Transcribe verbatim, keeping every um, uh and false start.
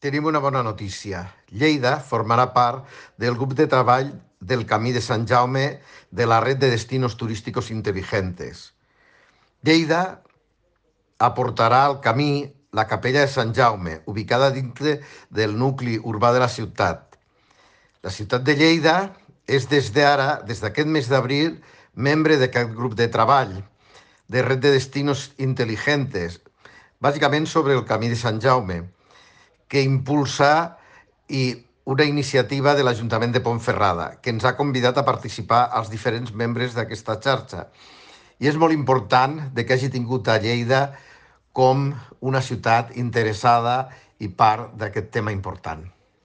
Tenim una bona notícia. Lleida formarà part del grup de treball del Camí de Sant Jaume de la Red de Destinos Turísticos Inteligentes. Lleida aportarà al camí la Capella de Sant Jaume, ubicada dintre del nucli urbà de la ciutat. La ciutat de Lleida és des d'ara, des d'aquest mes d'abril, membre d'aquest grup de treball de Red de Destinos Inteligentes, bàsicament sobre el Camí de Sant Jaume, que impulsa i una iniciativa de l'Ajuntament de Pontferrada, que ens ha convidat a participar als diferents membres d'aquesta xarxa. I és molt important de que hagi tingut a Lleida com una ciutat interessada i part d'aquest tema important.